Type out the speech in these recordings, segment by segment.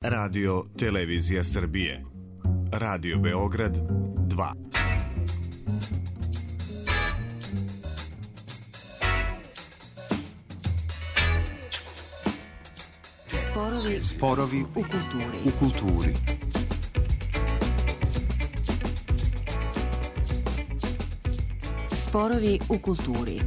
Radio Televizija Srbije. Radio Beograd 2. Sporovi u kulturi. Sporovi u kulturi.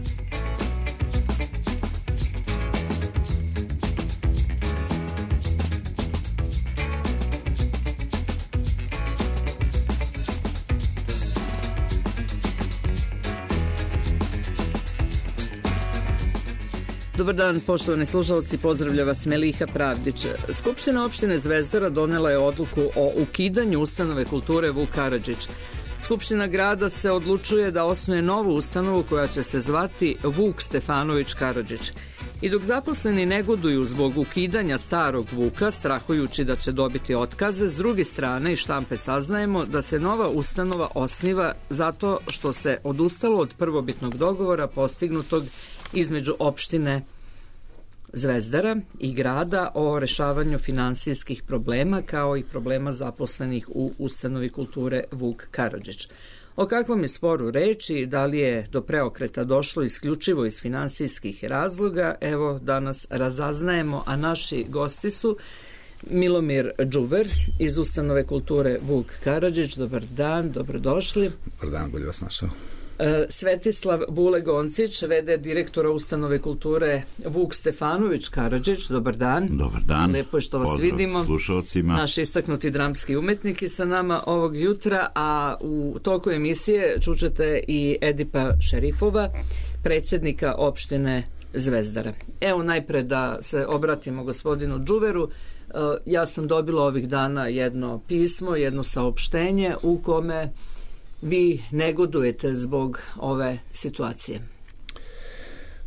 Dobar dan, poštovani slušalci, pozdravlja vas Meliha Pravdić. Skupština opštine Zvezdara donela je odluku o ukidanju ustanove kulture Vuk Karadžić. Skupština grada se odlučuje da osnuje novu ustanovu koja će se zvati Vuk Stefanović Karadžić. I dok zaposleni negoduju zbog ukidanja starog Vuka, strahujući da će dobiti otkaze, s druge strane iz štampe saznajemo da se nova ustanova osniva zato što se odustalo od prvobitnog dogovora postignutog između opštine Zvezdara i grada o rešavanju finansijskih problema kao i problema zaposlenih u ustanovi kulture Vuk Karadžić. O kakvom je sporu reči, da li je do preokreta došlo isključivo iz finansijskih razloga, evo danas razaznajemo, a naši gosti su Milomir Đuver iz ustanove kulture Vuk Karadžić. Dobar dan, dobrodošli. Dobar dan, bolje vas našao. Svetislav Bule-Goncić, v.d. direktora ustanove kulture Vuk Stefanović Karadžić. Dobar dan. Dobar dan. Lepo je što vas vidimo. Slušalcima. Naš istaknuti dramski umetnik je sa nama ovog jutra, a u toku emisije čućete i Edipa Šerifova, predsjednika opštine Zvezdara. Evo najpre da se obratimo gospodinu Đuveru. Ja sam dobila ovih dana jedno pismo, jedno saopštenje u kome vi negodujete zbog ove situacije.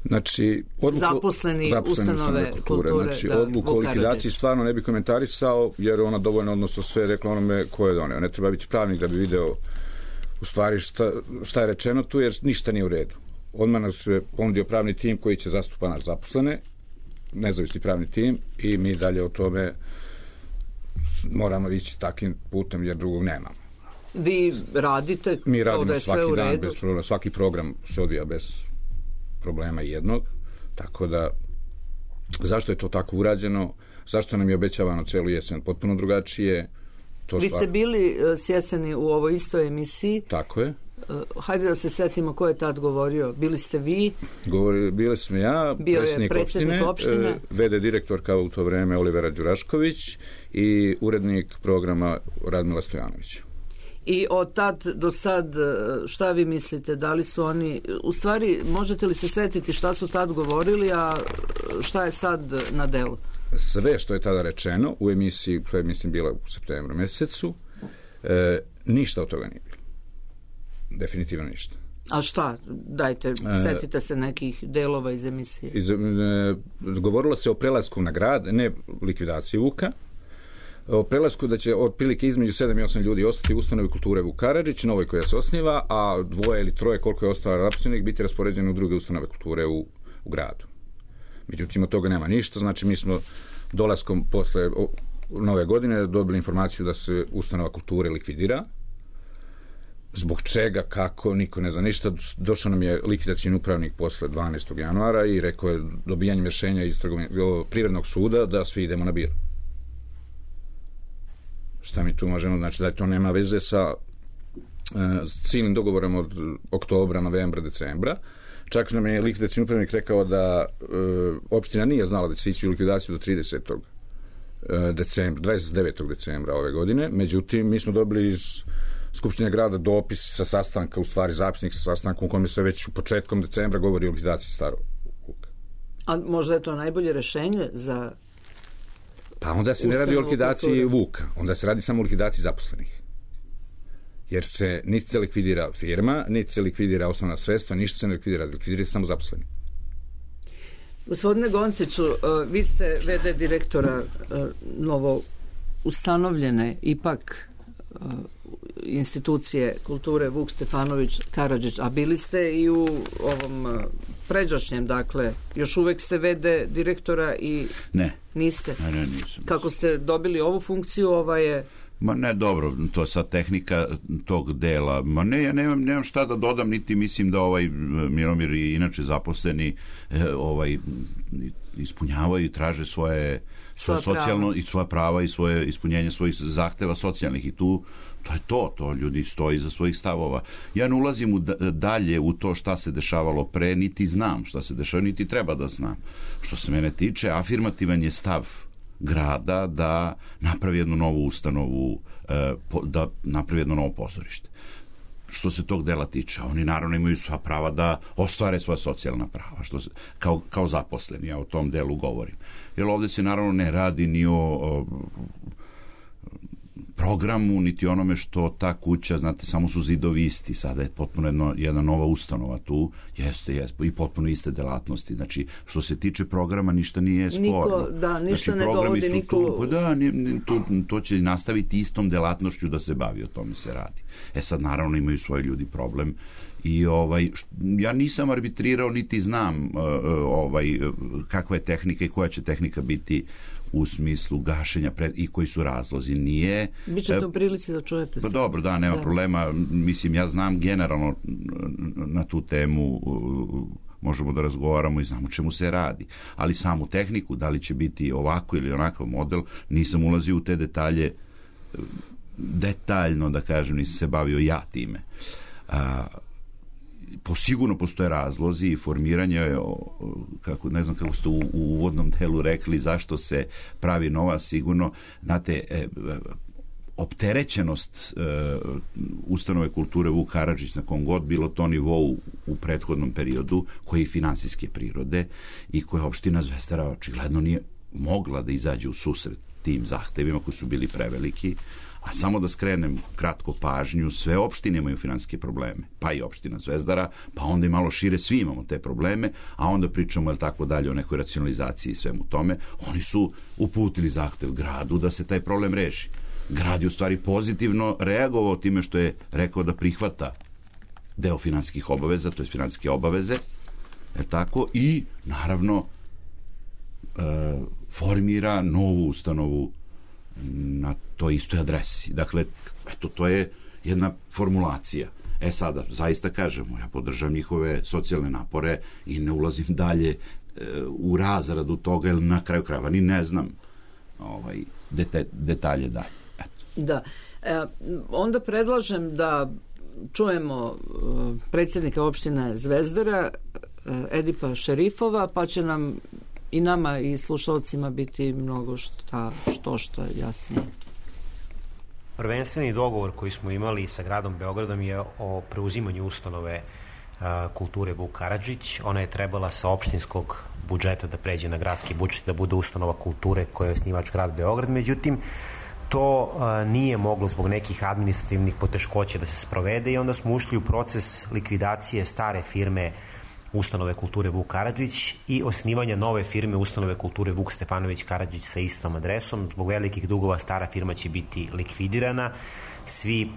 Znači, zaposleni ustanove kulture. Znači, odluku o likvidaciji stvarno ne bi komentarisao, jer ona dovoljno odnosno sve rekla onome ko je doneo. Ne treba biti pravnik da bi video u stvari šta je rečeno tu, jer ništa nije u redu. Odmah nas je ponudio pravni tim koji će zastupa naš zaposlene, nezavisni pravni tim, i mi dalje o tome moramo ići takvim putem, jer drugog nemamo. Vi radite, mi radimo da je svaki sve u dan redu. Bez problema, svaki program se odvija bez problema jednog, tako da zašto je to tako urađeno, zašto nam je obećavano celu jesen potpuno drugačije. Vi ste bili s jeseni u ovoj istoj emisiji. Tako je. Hajde da se setimo ko je tad govorio. Bili ste vi? Bili smo ja, predsjednik opštine, v.d. direktorka u to vreme Olivera Đurašković i urednik programa Radmila Stojanović. I od tad do sad, šta vi mislite, da li su oni, u stvari, možete li se setiti šta su tad govorili, a šta je sad na delu? Sve što je tada rečeno u emisiji, koja je mislim bila u septembru mesecu, ništa od toga nije bilo. Definitivno ništa. A šta? Dajte, setite se nekih delova iz emisije. Govorilo se o prelasku na grad, ne likvidaciji Vuka, o prelasku da će otprilike između 7 i 8 ljudi ostati u ustanovi kulture Vuk Karadžić, novoj koja se osniva, a 2 ili 3 koliko je ostalo zaposlenih biti raspoređeni u druge ustanove kulture u gradu. Međutim, od toga nema ništa, znači mi smo dolaskom posle nove godine dobili informaciju da se ustanova kulture likvidira. Zbog čega, kako, niko ne zna ništa. Došao nam je likvidacijni upravnik posle 12. januara i rekao je dobijanjem rješenja iz privrednog suda da svi idemo na bir. Šta mi tu možemo, znači da to nema veze sa ciljnim dogovorom od oktobra, novembra, decembra. Čak nam je likvidacijni upravnik rekao da opština nije znala da će se ići u likvidaciju do 29. decembra ove godine. Međutim, mi smo dobili iz Skupštine grada dopis sa sastanka, u stvari zapisnik sa sastanka u kome se već u početkom decembra govori o likvidaciji starog Vuka. A možda je to najbolje rešenje za... Pa onda se ne radi o likvidaciji Vuka, onda se radi samo o likvidaciji zaposlenih. Jer se niti se likvidira firma, niti se likvidira osnovna sredstva, ništa se ne likvidira se samo zaposleni. Gospodine Gonciću, vi ste v.d. direktora novo ustanovljene ipak institucije kulture Vuk Stefanović Karadžić, a bili ste i u ovom pređašnjem, dakle, još uvek ste v.d. direktora i... Ne. Niste? Ne, nisam. Kako ste dobili ovu funkciju, ova je... Ma ne, dobro, to je sad tehnika tog dela. Ma ne, ja nemam šta da dodam, niti mislim da Milomir i inače zaposleni ispunjavaju i traže svoje socijalno i svoja prava i svoje ispunjenje svojih zahteva socijalnih i to je to ljudi stoji za svojih stavova. Ja ne ulazim dalje u to šta se dešavalo pre, niti znam šta se dešava, niti treba da znam. Što se mene tiče, afirmativan je stav grada da napravi jednu novu ustanovu, da napravi jedno novo pozorište. Što se tog dela tiče, oni naravno imaju sva prava da ostvare svoja socijalna prava, kao zaposleni, ja o tom delu govorim. Jer ovdje se naravno ne radi ni o programu, niti onome što ta kuća, znate, samo su zidovi isti, sada je potpuno jedna nova ustanova tu, jeste, i potpuno iste delatnosti, znači, što se tiče programa, ništa nije sporno. Ništa ne dovodi niko... To će nastaviti istom delatnošću da se bavi, o tome se radi. Sad, naravno, imaju svoji ljudi problem i ja nisam arbitrirao, niti znam kakva je tehnika i koja će tehnika biti u smislu gašenja i koji su razlozi. Nije... Bićete u prilici da čujete se. Dobro, da, nema problema. Mislim, ja znam generalno na tu temu, možemo da razgovaramo i znamo čemu se radi. Ali samu tehniku, da li će biti ovako ili onakav model, nisam ulazio u te detalje detaljno, da kažem, nisam se bavio ja time. Sigurno postoje razlozi i formiranje, ne znam kako ste u uvodnom delu rekli, zašto se pravi nova, sigurno, znate, opterećenost ustanove kulture Vuk Karadžić na kom god bilo to nivou u prethodnom periodu, koji je finansijske prirode i koja opština Zvezdara očigledno nije mogla da izađe u susret tim zahtevima koji su bili preveliki. A samo da skrenem kratko pažnju, sve opštine imaju finansijske probleme, pa i opština Zvezdara, pa onda i malo šire svi imamo te probleme, a onda pričamo tako dalje o nekoj racionalizaciji i svemu tome. Oni su uputili zahtev gradu da se taj problem reši. Grad je u stvari pozitivno reagovao time što je rekao da prihvata deo finansijskih obaveza, to je finansijske obaveze, tako, i naravno formira novu ustanovu na toj istoj adresi. Dakle, eto, to je jedna formulacija. Sada, zaista kažemo, ja podržam njihove socijalne napore i ne ulazim dalje u razradu toga, jer na kraju krajeva ni ne znam detalje dalje. Eto. Da. Onda predlažem da čujemo predsjednika opštine Zvezdara, Edipa Šerifova, pa će nam i nama i slušalcima biti mnogo što jasnije. Prvenstveni dogovor koji smo imali sa gradom Beogradom je o preuzimanju ustanove kulture Vuk Karadžić. Ona je trebala sa opštinskog budžeta da pređe na gradski budžet, da bude ustanova kulture koja je osnivač grad Beograd. Međutim, to nije moglo zbog nekih administrativnih poteškoća da se sprovede i onda smo ušli u proces likvidacije stare firme ustanove kulture Vuk Karadžić i osnivanja nove firme ustanove kulture Vuk Stefanović Karadžić sa istom adresom. Zbog velikih dugova stara firma će biti likvidirana, svi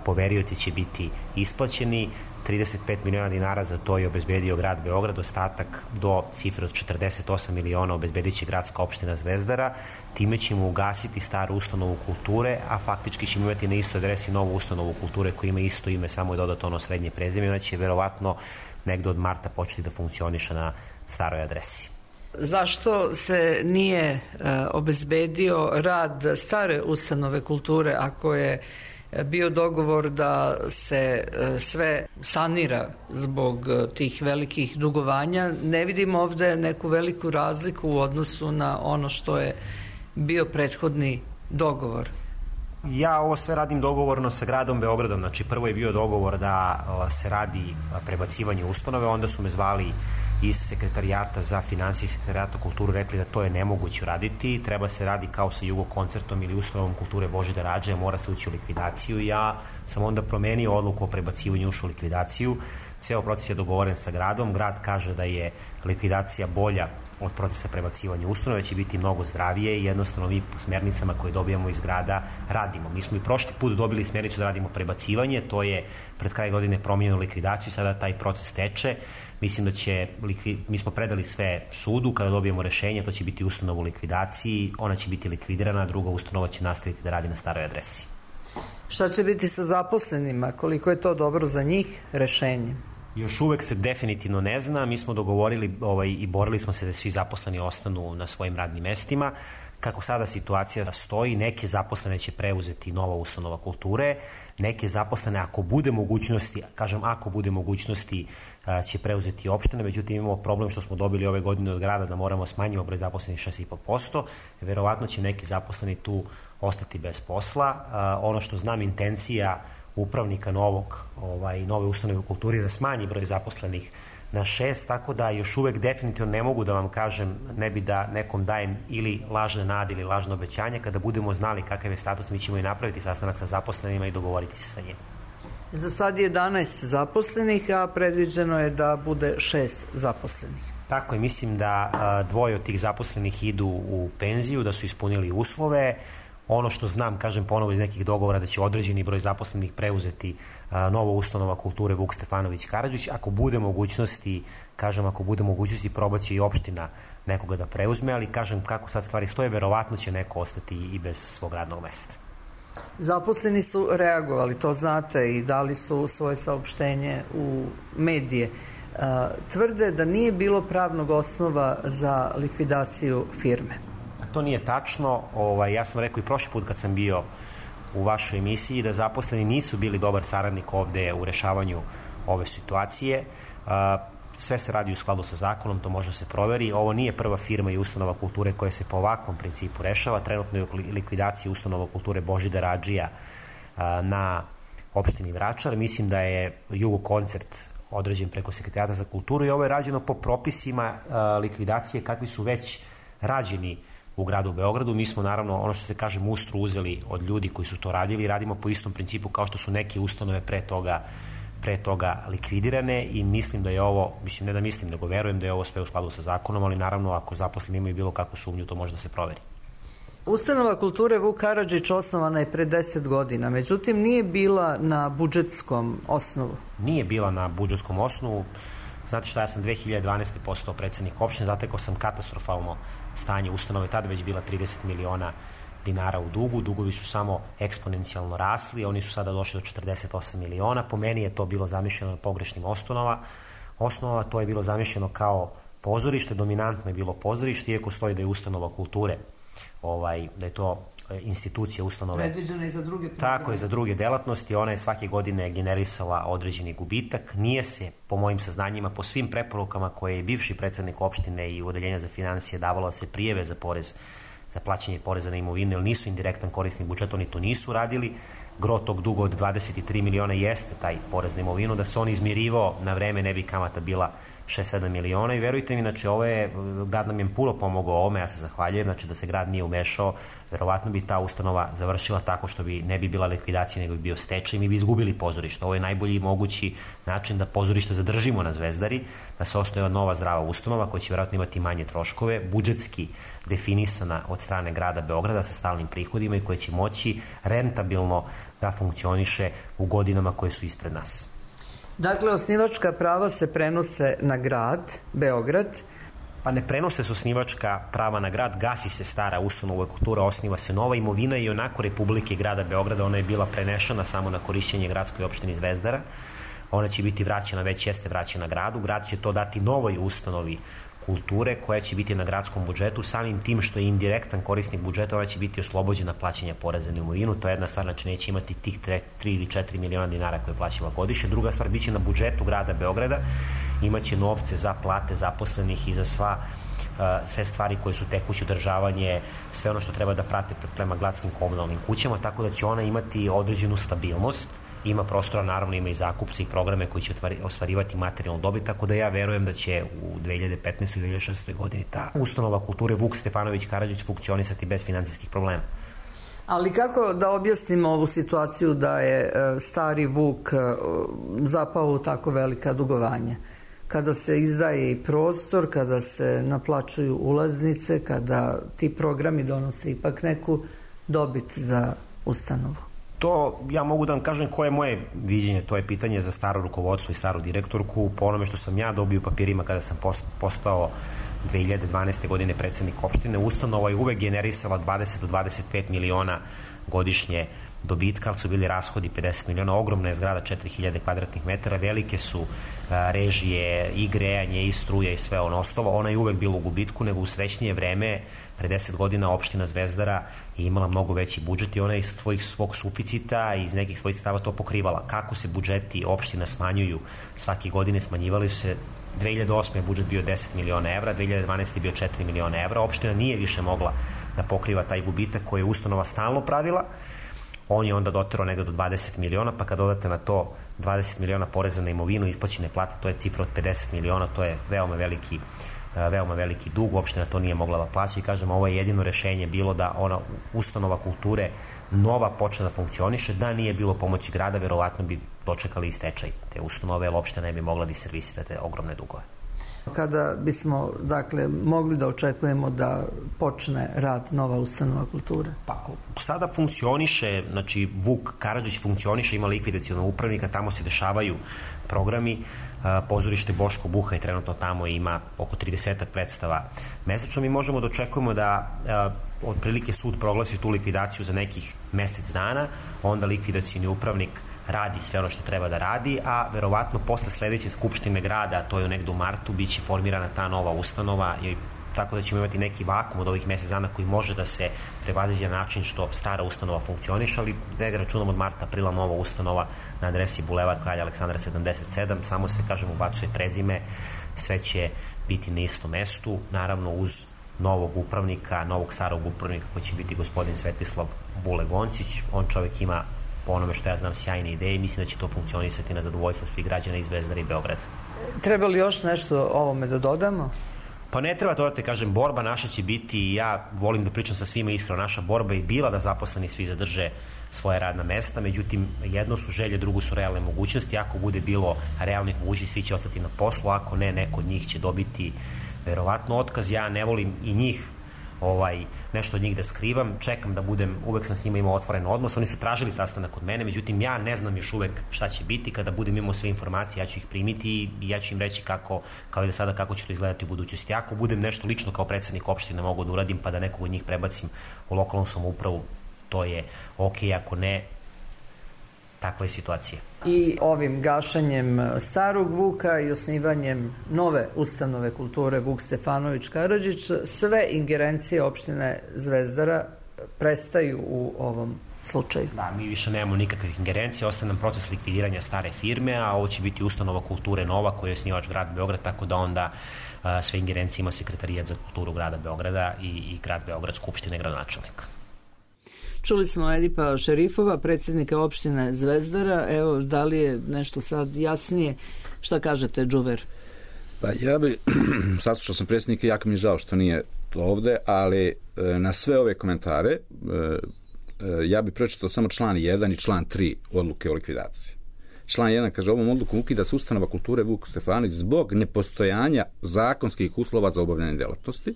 poverioci će biti isplaćeni, 35 miliona dinara za to je obezbedio grad Beograd, ostatak do cifre od 48 miliona obezbedit će gradska opština Zvezdara. Time ćemo ugasiti staru ustanovu kulture, a faktički ćemo imati na istoj adresi novu ustanovu kulture koja ima isto ime, samo je dodato ono srednje prezime. Ona će verovatno negde od marta početi da funkcioniše na staroj adresi. Zašto se nije obezbedio rad stare ustanove kulture ako je bio dogovor da se sve sanira zbog tih velikih dugovanja? Ne vidimo ovde neku veliku razliku u odnosu na ono što je bio prethodni dogovor. Ja ovo sve radim dogovorno sa gradom Beogradom. Znači, prvo je bio dogovor da se radi prebacivanje ustanove, onda su me zvali iz sekretarijata za finansije i sekretarijata kulturu, rekli da to je nemoguće raditi, treba se radi kao sa Jugokoncertom ili ustanovom kulture Božidara Rađe, mora se ući u likvidaciju. Ja sam onda promenio odluku o prebacivanju, ušao u likvidaciju. Ceo proces je dogovoren sa gradom, grad kaže da je likvidacija bolja od procesa prebacivanja ustanove, će biti mnogo zdravije i jednostavno mi po smernicama koje dobijamo iz grada radimo. Mi smo i prošli put dobili smernicu da radimo prebacivanje, to je pred kraj godine promijenjeno likvidaciju i sada taj proces teče. Mislim da mi smo predali sve sudu, kada dobijemo rešenje, to će biti ustanova u likvidaciji, ona će biti likvidirana, a druga ustanova će nastaviti da radi na staroj adresi. Šta će biti sa zaposlenima? Koliko je to dobro za njih rešenje? Još uvek se definitivno ne zna. Mi smo dogovorili i borili smo se da svi zaposleni ostanu na svojim radnim mestima. Kako sada situacija stoji, neke zaposlene će preuzeti nova ustanova kulture, neke zaposlene ako bude mogućnosti, će preuzeti opštine, međutim imamo problem što smo dobili ove godine od grada da moramo smanjimo broj zaposlenih 6,5%, verovatno će neki zaposleni tu ostati bez posla. Ono što znam, intencija upravnika nove ustanove u kulturi da smanji broj zaposlenih na 6, tako da još uvek definitivno ne mogu da vam kažem, ne bi da nekom dajem ili lažne nade ili lažne obećanje. Kada budemo znali kakav je status, mi ćemo i napraviti sastanak sa zaposlenima i dogovoriti se sa njima. Za sad je 11 zaposlenih, a predviđeno je da bude 6 zaposlenih. Tako je, mislim da 2 od tih zaposlenih idu u penziju, da su ispunili uslove. Ono što znam, kažem ponovo iz nekih dogovora, da će određeni broj zaposlenih preuzeti nova ustanova kulture Vuk Stefanović Karadžić. Ako bude mogućnosti, probaće i opština nekoga da preuzme, ali kažem kako sad stvari stoje, verovatno će neko ostati i bez svog radnog mesta. Zaposleni su reagovali, to znate, i dali su svoje saopštenje u medije. Tvrde da nije bilo pravnog osnova za likvidaciju firme. To nije tačno. Ja sam rekao i prošli put kad sam bio u vašoj emisiji da zaposleni nisu bili dobar saradnik ovde u rešavanju ove situacije. Sve se radi u skladu sa zakonom, to može se proveri. Ovo nije prva firma i ustanova kulture koja se po ovakvom principu rešava. Trenutno je u likvidaciji ustanova kulture Božidar Adžija na opštini Vračar. Mislim da je Jugo koncert određen preko Sekretarijata za kulturu i ovo je rađeno po propisima likvidacije kakvi su već rađeni u gradu Beogradu. Mi smo naravno, ono što se kaže, mustru uzeli od ljudi koji su to radili i radimo po istom principu kao što su neke ustanove pre toga likvidirane i mislim da je ovo, nego verujem da je ovo sve u skladu sa zakonom, ali naravno ako zaposleni imaju bilo kakvu sumnju, to može da se proveri. Ustanova kulture Vuk Karadžić osnovana je pre 10 godina, međutim nije bila na budžetskom osnovu. Nije bila na budžetskom osnovu. Znate šta, ja sam 2012. postao predsednik opštine, zatekao sam katastrofalno stanje ustanove, tada već bila 30 miliona dinara u dugu, dugovi su samo eksponencijalno rasli, oni su sada došli do 48 miliona, po meni je to bilo zamišljeno na pogrešnim osnovama, to je bilo zamišljeno kao pozorište, dominantno je bilo pozorište, iako stoji da je ustanova kulture, da je to institucija ustanove. Predviđena i za druge programe. Tako je, za druge delatnosti, ona je svake godine generisala određeni gubitak, nije se, po mojim saznanjima, po svim preporukama koje je bivši predsednik opštine i odeljenja za finansije davalo se prijeve za porez, za plaćanje poreza na imovinu, jer nisu indirektan korisnik budžeta, oni to nisu radili. Gro tog duga od 23 miliona jeste taj porez na imovinu, da se on izmirivao na vreme, ne bi kamata bila 6-7 miliona i verujte mi, znači grad nam je puno pomogao ovome, ja se zahvaljujem, znači da se grad nije umešao, verovatno bi ta ustanova završila tako što ne bi bila likvidacija, nego bi bio stečaj i mi bi izgubili pozorište. Ovo je najbolji mogući način da pozorište zadržimo na Zvezdari, da se osnuje nova zdrava ustanova koja će verovatno imati manje troškove, budžetski definisana od strane grada Beograda sa stalnim prihodima i koja će moći rentabilno da funkcioniše u godinama koje su ispred nas. Dakle, osnivačka prava se prenose na grad, Beograd. Pa ne prenose se osnivačka prava na grad, gasi se stara ustanova kultura, osniva se nova imovina i onako Republike i grada Beograda, ona je bila prenešena samo na korišćenje gradskoj opštini Zvezdara. Ona će biti vraćena, već jeste vraćena gradu. Grad će to dati novoj ustanovi kulture koja će biti na gradskom budžetu, samim tim što je indirektan korisnik budžeta, ona će biti oslobođena plaćanja poreza na imovinu. To je jedna stvar, znači neće imati tih 3 ili 4 miliona dinara koje je plaćala godišnje. Druga stvar, biće na budžetu grada Beograda, imaće novce za plate zaposlenih i za sve stvari koje su tekuće održavanje, sve ono što treba da prate prema gradskim komunalnim kućama, tako da će ona imati određenu stabilnost. Ima prostora, naravno ima i zakupce i programe koji će ostvarivati materijalnu dobit, tako da ja verujem da će u 2015. i 2016. godini ta ustanova kulture Vuk Stefanović Karadžić funkcionisati bez finansijskih problema. Ali kako da objasnimo ovu situaciju da je stari Vuk zapao u tako velika dugovanja? kada se izdaje i prostor, kada se naplaćuju ulaznice, kada ti programi donose ipak neku dobit za ustanovu? To ja mogu da vam kažem koje je moje viđenje, to je pitanje za staro rukovodstvo i staru direktorku. Po onome što sam ja dobio u papirima kada sam postao 2012. godine predsednik opštine, ustanova je uvek generisala 20 do 25 miliona godišnje dobitka, ali su bili rashodi 50 miliona, ogromna je zgrada 4000 kvadratnih metara, velike su režije i grejanje i struja i sve ono ostalo. Ona je uvek bila u gubitku, nego u srećnije vreme, pre 10 godina opština Zvezdara je imala mnogo veći budžet i ona iz svog suficita i iz nekih svojih sredstava to pokrivala. Kako se budžeti opština smanjuju svake godine, smanjivali su se. 2008. je budžet bio 10 miliona evra, 2012. je bio 4 miliona evra. Opština nije više mogla da pokriva taj gubitak koji je ustanova stalno pravila. On je onda doterao negde do 20 miliona, pa kad dodate na to 20 miliona poreza na imovinu, isplaćene plate, to je cifra od 50 miliona, to je veoma veliki dug, opština to nije mogla da plaća i kažem, ovo je jedino rešenje bilo da ona ustanova kulture nova počne da funkcioniše, da nije bilo pomoći grada, verovatno bi dočekali i stečaj te ustanove, jer opština ne bi mogla da servisira te ogromne dugove. Kada bismo, dakle, mogli da očekujemo da počne rad nova ustanova kulture? Pa, sada funkcioniše, znači Vuk Karadžić funkcioniše, ima likvidacionog upravnika, tamo se dešavaju programi, pozorište Boško Buha je trenutno tamo i ima oko 30 predstava mesečno. Mi možemo da očekujemo da otprilike sud proglasi tu likvidaciju za nekih mesec dana, onda likvidacioni upravnik radi sve ono što treba da radi, a verovatno posle sledeće skupštine grada, to je negde u martu, biće formirana ta nova ustanova, tako da ćemo imati neki vakum od ovih mesec dana koji može da se prevaziđe na način što stara ustanova funkcioniše, ali negde računamo od marta, aprila nova ustanova na adresi Bulevar Kralja Aleksandra 77, samo se, kažem, ubacuje prezime, sve će biti na istom mestu, naravno uz novog upravnika, novog starog upravnika koji će biti gospodin Svetislav Bule-Goncić. On čovek ima, po onome što ja znam, sjajne ideje i mislim da će to funkcionisati na zadovoljstvo svih građana iz Zvezdara i Beograda. Treba li još nešto ovome da dodamo? Pa ne treba dodati, kažem, borba naša će biti, i ja volim da pričam sa svima iskreno, naša borba je bila da zaposleni svi zadrže svoje radna mesta, međutim, jedno su želje, drugo su realne mogućnosti. Ako bude bilo realnih mogućnosti, svi će ostati na poslu, ako ne, neko od njih će dobiti verovatno otkaz. Ja ne volim i njih nešto od njih da skrivam, čekam da budem, uvek sam s njima imao otvoren odnos, oni su tražili sastanak od mene, međutim ja ne znam još uvek šta će biti, kada budem imao sve informacije ja ću ih primiti i ja ću im reći kako, kao i da sada, kako će to izgledati u budućnosti. Ako budem nešto lično kao predsednik opštine mogu da uradim pa da nekog od njih prebacim u lokalnu samoupravu, to je okej, ako ne, takva je situacija. I ovim gašenjem starog Vuka i osnivanjem nove ustanove kulture Vuk Stefanović Karadžić, sve ingerencije opštine Zvezdara prestaju u ovom slučaju. Da, mi više nemamo nikakvih ingerencija, ostaje nam proces likvidiranja stare firme, a ovo će biti ustanova kulture nova koja je osnivač grad Beograd, tako da onda sve ingerencije ima sekretarijat za kulturu grada Beograda i grad Beograd, skupštine, gradonačelnika. Čuli smo Edipa Šerifova, predsjednika opštine Zvezdara. Evo, da li je nešto sad jasnije? Šta kažete, Džuver? Pa ja bi, saslušao sam predsjednika, jako mi je žao što nije ovde, ali na sve ove komentare ja bi pročitao samo član 1 i član 3 odluke o likvidaciji. Član 1 kaže, ovom odlukom ukida se ustanova kulture Vuk Stefanović zbog nepostojanja zakonskih uslova za obavljanje delatnosti,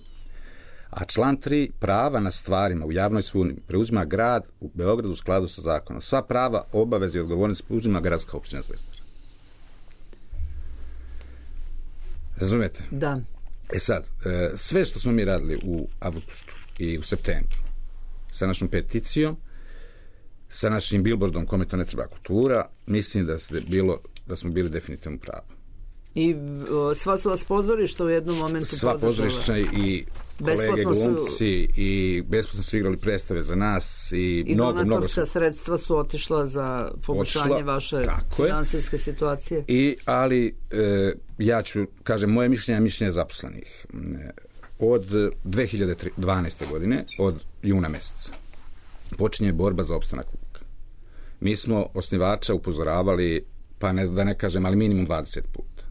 a član 3, prava na stvarima u javnoj svojini preuzima grad u Beogradu u skladu sa zakonom. Sva prava, obaveze i odgovornosti preuzima gradska opština Zvezdara. Razumete? Da. Sad, sve što smo mi radili u avgustu i u septembru, sa našom peticijom, sa našim billboardom kome to ne treba kultura, mislim da smo bili definitivno pravi. I sva su vas pozorišta u jednom momentu podržala? Sva pozorišta i kolege glumci i besplatno su igrali predstave za nas i donatorska sredstva su otišla za poboljšanje vaše finansijske situacije. Ali ja ću, kažem, moje mišljenje zaposlenih od 2012. godine, od juna meseca počinje borba za opstanak Vuka. Mi smo osnivača upozoravali, pa da ne kažem, ali minimum 20 puta.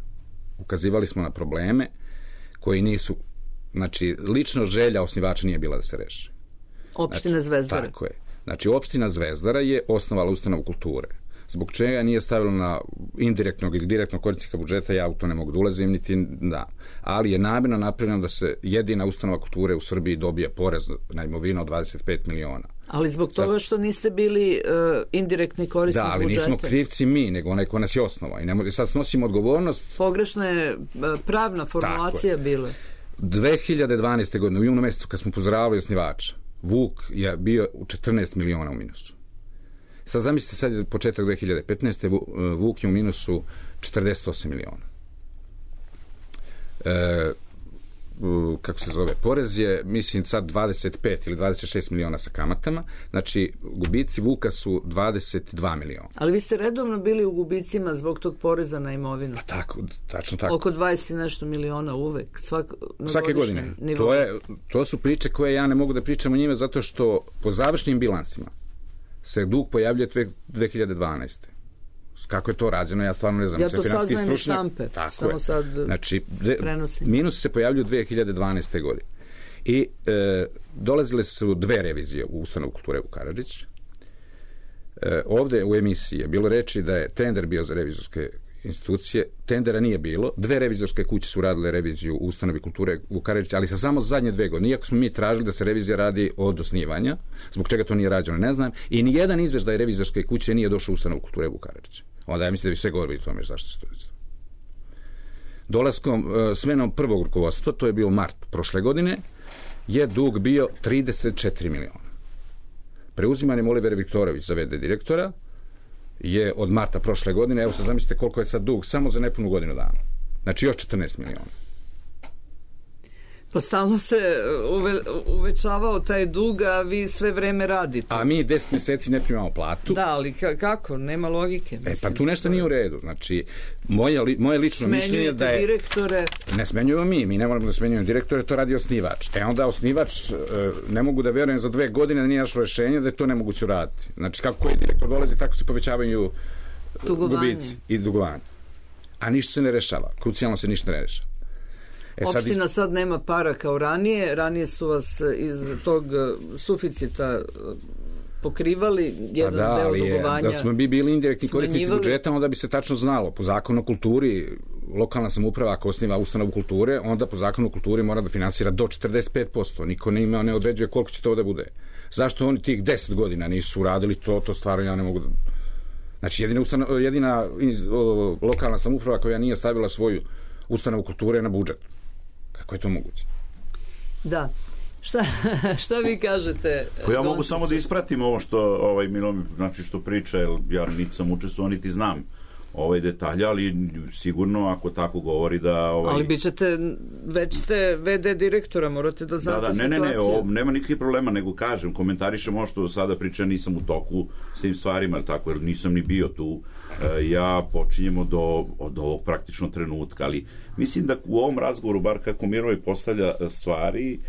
Ukazivali smo na probleme koji nisu, znači, lično želja osnivača nije bila da se reši. Opština Zvezdara. Tako je. Znači, opština Zvezdara je osnovala ustanovu kulture. Zbog čega nije stavilo na indirektnog ili direktnog korisnika budžeta, ja u to ne mogu da ulazim, niti da. Ali je namjerno napravljeno da se jedina ustanova kulture u Srbiji dobije porez na imovinu od 25 miliona. Ali zbog toga što niste bili indirektni korisnik budžeta. Da, ali nismo krivci mi, nego onaj ko nas je osnova. I sad snosimo odgovornost. Pogrešna je pravna formulacija bila. 2012. godine, u junu mesecu, kad smo upozoravali osnivača, Vuk je bio u 14 miliona u minusu. Sad zamislite, sad je početak 2015. Vuk je u minusu 48 miliona. Kako se zove, porez je, mislim, sad 25 ili 26 miliona sa kamatama, znači gubici Vuka su 22 miliona. Ali vi ste redovno bili u gubicima zbog tog poreza na imovinu? Pa tako, tačno tako. Oko 20 i nešto miliona uvek, svake godine. To su priče koje ja ne mogu da pričam o njime, zato što po završnim bilansima se dug pojavljuje 2012. Kako je to rađeno, ja stvarno ne znam. Ja to saznajem iz štampe, samo sad znači, prenosim. Minusi se pojavljuju 2012. godine. I dolazile su 2 revizije u ustanovu kulture u Karadžić. Ovde u emisiji je bilo reči da je tender bio za revizorske institucije, tendera nije bilo, 2 revizorske kuće su radile reviziju u ustanovi kulture u Karadžić, ali sa samo zadnje 2 godine. Iako smo mi tražili da se revizija radi od osnivanja, zbog čega to nije rađeno, ne znam, i nijedan izveštaj revizorske kuće nije došao u ustanovu kulture u Karadžić. Onda ja mislim da bi sve govorili o tome zašto se to je. Dolaskom, smenom prvog rukovodstva, to je bio mart prošle godine, je dug bio 34 miliona. Preuzimanjem Olivera Viktorović za v.d. direktora je od marta prošle godine, evo sad zamislite koliko je sad dug, samo za nepunu godinu dana. Znači još 14 miliona. Pa stalno se uvećavao taj dug, a vi sve vreme radite. A mi 10 meseci ne primamo platu. Da, ali kako? Nema logike. Pa tu nešto nije u redu. Znači, moje lično mišljenje je da je... Smenjujete direktore? Ne smenjujemo mi ne moramo da smenjujemo direktore, to radi osnivač. Onda osnivač, ne mogu da verujem za 2 godine da nije našo rešenje da je to nemoguće uraditi. Znači, kako koji direktor dolazi, tako se povećavaju gubici i dugovanje. A ništa se ne rešava. Krucijalno se ništa ne rešava. Opština sad nema para kao ranije su vas iz tog suficita pokrivali jedan deo dugovanja. Da smo bili indirektni korisnici budžeta, onda bi se tačno znalo. Po zakonu o kulturi, lokalna samouprava ako osniva ustanovu kulture, onda po zakonu o kulturi mora da finansira do 45%. Niko ne određuje koliko će to da bude. Zašto oni tih 10 godina nisu uradili to stvarno ja ne mogu da... Znači, jedina lokalna samouprava koja nije stavila svoju ustanovu kulture na budžet. Kako je to moguće? Da. Šta vi kažete? Pa ja mogu samo da ispratim ovo što Milo, znači što priča, jer ja niti sam učestvovao, niti znam detalje, ali sigurno ako tako govori da... Ali bit ćete, već ste v.d. direktora, morate da znate situaciju. Nema nikakvih problema, nego kažem, komentarišem ovo što sada priča, nisam u toku s tim stvarima, tako, jer nisam ni bio tu. Ja počinjem od ovog praktično trenutka, ali mislim da u ovom razgovoru, bar kako Miroje postavlja stvari,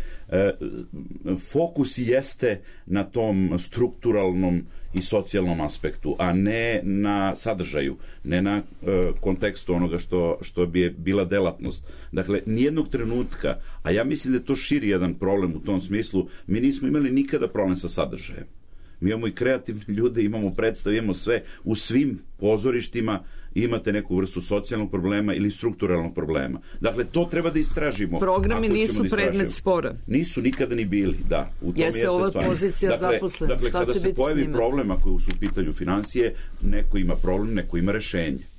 fokus jeste na tom strukturalnom i socijalnom aspektu, a ne na sadržaju, ne na kontekstu onoga što bi bila delatnost. Dakle, nijednog trenutka, a ja mislim da je to širi jedan problem u tom smislu, mi nismo imali nikada problem sa sadržajem. Mi imamo i kreativne ljude, imamo predstave, imamo sve. U svim pozorištima imate neku vrstu socijalnog problema ili strukturalnog problema. Dakle, to treba da istražimo. Programi nisu predmet spora. Nisu nikada ni bili, da. U tom jeste ova pozicija zaposlena. Dakle, kada se pojavi problem, ako su u pitanju financije, neko ima problem, neko ima rešenje.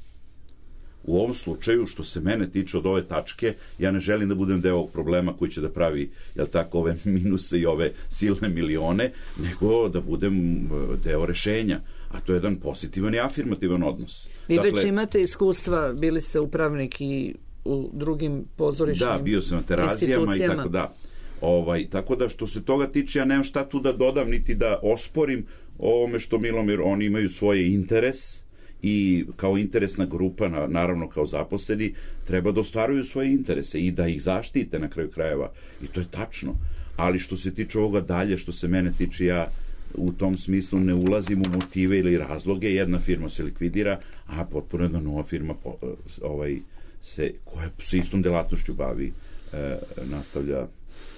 U ovom slučaju, što se mene tiče od ove tačke, ja ne želim da budem deo ovog problema koji će da pravi, jel tako, ove minuse i ove silne milione, nego da budem deo rešenja. A to je jedan pozitivan i afirmativan odnos. Vi već imate iskustva, bili ste upravnik i u drugim pozorišnim institucijama. Da, bio sam na Terazijama i tako da. Tako da što se toga tiče, ja nemam šta tu da dodam, niti da osporim ovome što Milomir, oni imaju svoje interes i kao interesna grupa, naravno kao zaposleni, treba da ostvaruju svoje interese i da ih zaštite na kraju krajeva. I to je tačno. Ali što se tiče ovoga dalje, što se mene tiče, ja u tom smislu ne ulazim u motive ili razloge. Jedna firma se likvidira, a potpuno jedna nova firma koja se istom delatnošću bavi, nastavlja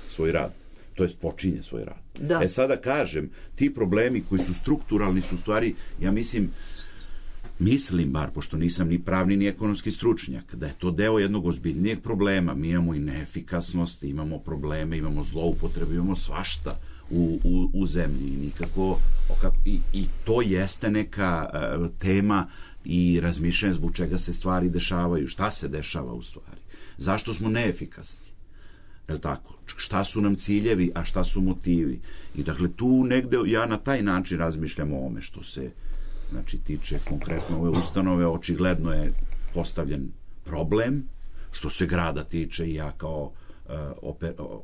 svoj rad. To jest počinje svoj rad. Da. Sada kažem, ti problemi koji su strukturalni su stvari, ja mislim, mislim, bar pošto nisam ni pravni ni ekonomski stručnjak, da je to deo jednog ozbiljnijeg problema. Mi imamo i neefikasnost, imamo probleme, imamo zloupotrebe, imamo svašta u zemlji i nikako i to jeste neka tema i razmišljanje zbog čega se stvari dešavaju, šta se dešava u stvari, zašto smo neefikasni, je li tako, šta su nam ciljevi, a šta su motivi. I dakle tu negde ja na taj način razmišljam o ovome što se tiče konkretno ove ustanove. Očigledno je postavljen problem. Što se grada tiče, ja kao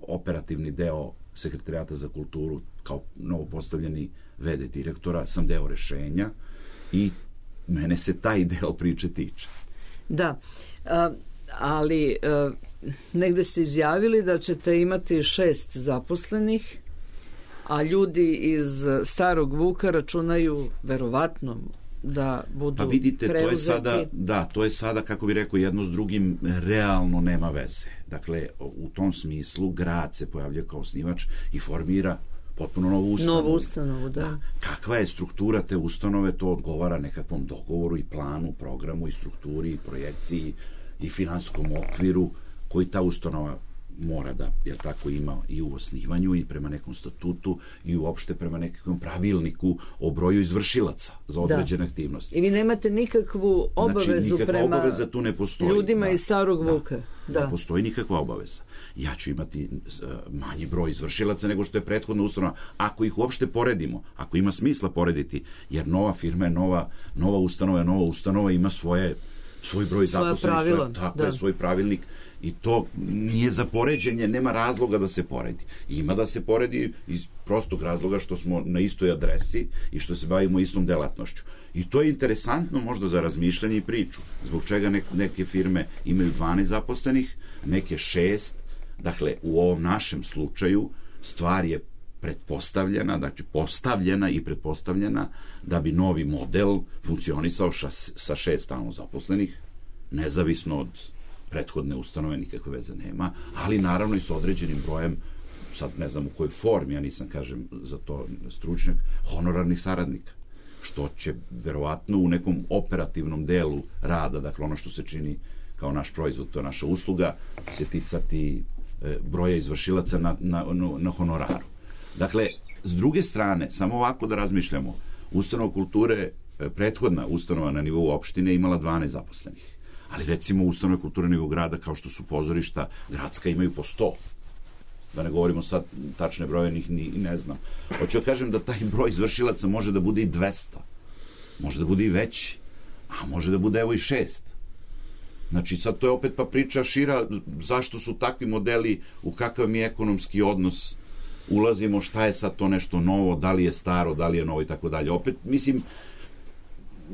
operativni deo Sekretarijata za kulturu, kao novo postavljeni VD direktora, sam deo rešenja i mene se taj deo priče tiče. Da, ali negde ste izjavili da ćete imati 6 zaposlenih, a ljudi iz Starog Vuka računaju verovatno da budu preuzeti. Pa vidite, to je sada, kako bi rekao, jedno s drugim realno nema veze. Dakle, u tom smislu grad se pojavlja kao osnivač i formira potpuno novu ustanovu. Da. Kakva je struktura te ustanove, to odgovara nekakvom dogovoru i planu, programu i strukturi i projekciji i finansijskom okviru koji ta ustanova mora da, jer tako, ima i u osnivanju i prema nekom statutu i uopšte prema nekakvom pravilniku o broju izvršilaca za određene aktivnosti. I vi nemate nikakvu obavezu prema obaveza tu ne postoji. Ljudima iz Starog Vuka. Da. Ne postoji nikakva obaveza. Ja ću imati manji broj izvršilaca nego što je prethodna ustanova. Ako ih uopšte poredimo, ako ima smisla porediti, jer nova firma je nova ustanova ima svoj broj zaposlenih, svoj pravilnik. I to nije za poređenje, nema razloga da se poredi. Ima da se poredi iz prostog razloga što smo na istoj adresi i što se bavimo istom delatnošću. I to je interesantno možda za razmišljanje i priču. Zbog čega neke firme imaju 12 zaposlenih, neke 6. Dakle, u ovom našem slučaju stvar je pretpostavljena, znači postavljena i pretpostavljena da bi novi model funkcionisao sa 6 stalno zaposlenih, nezavisno od prethodne ustanove, nikakve veze nema, ali naravno i s određenim brojem, sad ne znam u kojoj formi, ja nisam, kažem, za to stručnjak, honorarnih saradnika, što će verovatno u nekom operativnom delu rada, dakle ono što se čini kao naš proizvod, to je naša usluga, se ticati broja izvršilaca na honoraru. Dakle, s druge strane, samo ovako da razmišljamo, ustanova kulture, prethodna ustanova na nivou opštine imala 12 zaposlenih. Ali recimo ustanove kulture na nivou grada, kao što su pozorišta gradska, imaju po 100. Da ne govorimo sad tačne broje, ni ne znam. Hoću da kažem da taj broj izvršilaca može da bude i 200. Može da bude i veći. A može da bude evo i 6. Znači sad to je opet pa priča šira zašto su takvi modeli, u kakav mi ekonomski odnos ulazimo, šta je sad to nešto novo, da li je staro, da li je novo i tako dalje. Opet, mislim,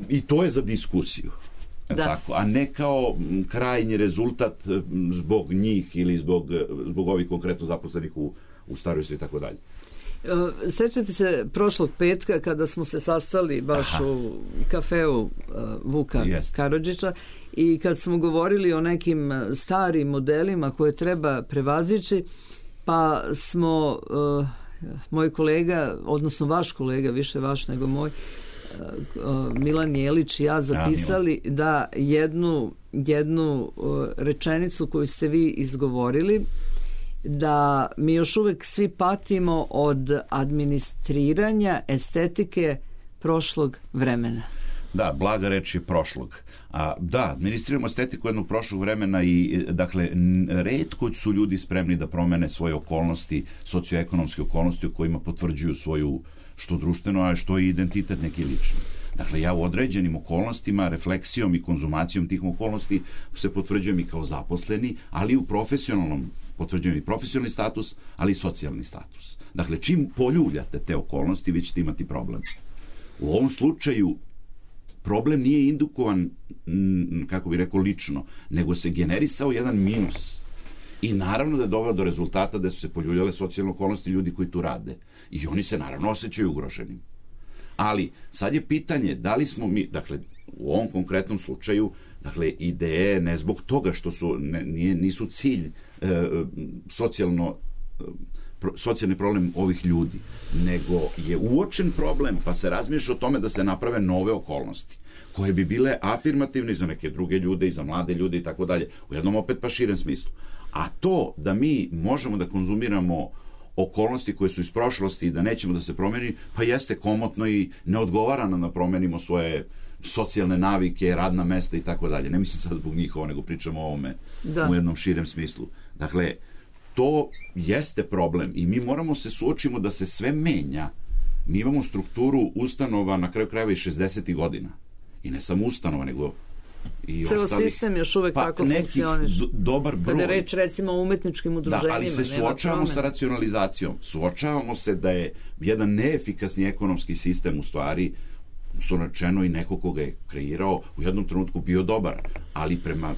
i to je za diskusiju. Tako, a ne kao krajnji rezultat zbog njih ili zbog ovih konkretno zaposlenih u Staroj i tako dalje. Sećate se prošlog petka kada smo se sastali baš u kafeu Vuka Karadžića i kad smo govorili o nekim starim modelima koje treba prevazići, pa smo moj kolega, odnosno vaš kolega, više vaš nego moj, Milan Jelić i ja zapisali da jednu rečenicu koju ste vi izgovorili, da mi još uvek svi patimo od administriranja estetike prošlog vremena. Da, blaga reč je prošlog. Da, administriramo estetiku jednog prošlog vremena i, dakle, retko su ljudi spremni da promene svoje okolnosti, socioekonomske okolnosti u kojima potvrđuju svoju što društveno, a što i identitet neki lični. Dakle, ja u određenim okolnostima, refleksijom i konzumacijom tih okolnosti se potvrđujem i kao zaposleni, ali i u profesionalnom, potvrđujem i profesionalni status, ali i socijalni status. Dakle, čim poljuljate te okolnosti, vi ćete imati problem. U ovom slučaju problem nije indukovan, kako bi rekao, lično, nego se generisao jedan minus. I naravno da je doveo do rezultata da su se poljuljale socijalne okolnosti ljudi koji tu rade. I oni se naravno osjećaju ugroženim. Ali sad je pitanje da li smo mi, dakle, u ovom konkretnom slučaju, dakle, ideje ne zbog toga što nisu cilj socijalno socijalni problem ovih ljudi, nego je uočen problem, pa se razmišlja o tome da se naprave nove okolnosti, koje bi bile afirmativne i za neke druge ljude i za mlade ljude i tako dalje, u jednom opet pa širem smislu. A to da mi možemo da konzumiramo okolnosti koje su iz prošlosti i da nećemo da se promeni, pa jeste komotno i ne odgovara nam da promenimo svoje socijalne navike, radna mesta i tako dalje. Ne mislim sad zbog njihova, nego pričamo o ovome u jednom širem smislu. Dakle, to jeste problem i mi moramo se suočimo da se sve menja. Mi imamo strukturu ustanova na kraju krajeva i 60. godina. I ne samo ustanova, nego i ceo sistem još uvek tako funkcioniš. Dobar broj. Kada je reč recimo o umetničkim udruženjima. Da, ali se suočavamo sa racionalizacijom. Suočavamo se da je jedan neefikasni ekonomski sistem u stvari, što rečeno i neko koga je kreirao, u jednom trenutku bio dobar, ali prema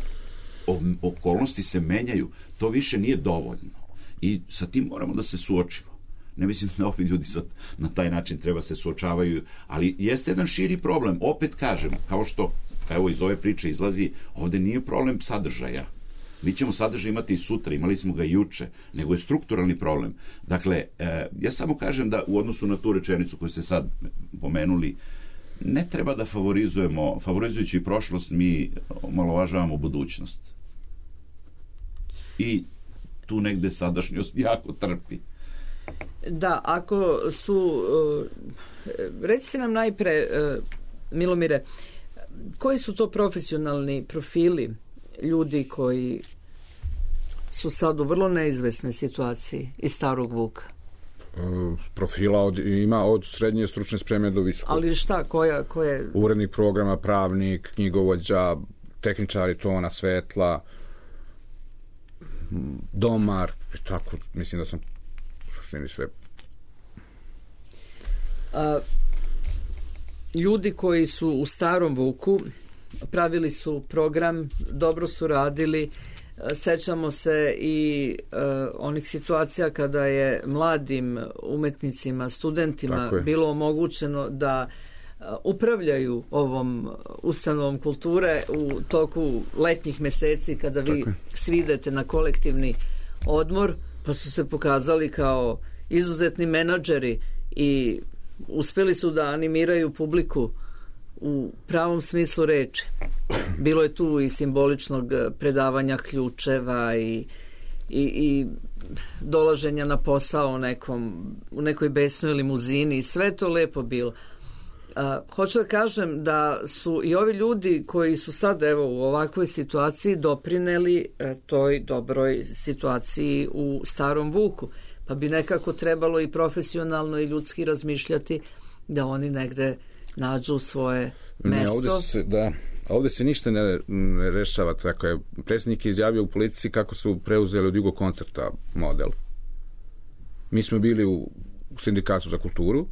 okolnosti se menjaju. To više nije dovoljno. I sa tim moramo da se suočimo. Ne mislim da ovi ljudi sad na taj način treba se suočavaju, ali jeste jedan širi problem. Opet kažem, kao što evo iz ove priče izlazi, ovde nije problem sadržaja. Mi ćemo sadržaj imati i sutra, imali smo ga juče, nego je strukturalni problem. Dakle, ja samo kažem da u odnosu na tu rečenicu koju ste sad pomenuli, ne treba da favorizujući prošlost, mi omalovažavamo budućnost. I tu negde sadašnjost jako trpi. Da, ako su, recite nam najpre, Milomire, koji su to profesionalni profili ljudi koji su sad u vrlo neizvesnoj situaciji iz Starog Vuka? Profila ima od srednje stručne spreme do visokog. Ali šta, koje? Urednik programa, pravnik, knjigovođa, tehničari tona, svetla, domar, tako, mislim da sam u suštini sve. Ljudi koji su u Starom Vuku pravili su program, dobro su radili, sećamo se i onih situacija kada je mladim umetnicima, studentima bilo omogućeno da upravljaju ovom ustanovom kulture u toku letnjih meseci kada vi svi idete na kolektivni odmor, pa su se pokazali kao izuzetni menadžeri i uspeli su da animiraju publiku u pravom smislu reči. Bilo je tu i simboličnog predavanja ključeva i dolaženja na posao u nekoj besnoj limuzini i sve to lepo bilo. Hoću da kažem da su i ovi ljudi koji su sad evo u ovakvoj situaciji doprineli toj dobroj situaciji u Starom Vuku. Pa bi nekako trebalo i profesionalno i ljudski razmišljati da oni negde nađu svoje mesto. Ovde se ništa ne rešava. Tako je, predsjednik je izjavio u Politici kako su preuzeli od Jugokoncerta model. Mi smo bili u Sindikatu za kulturu,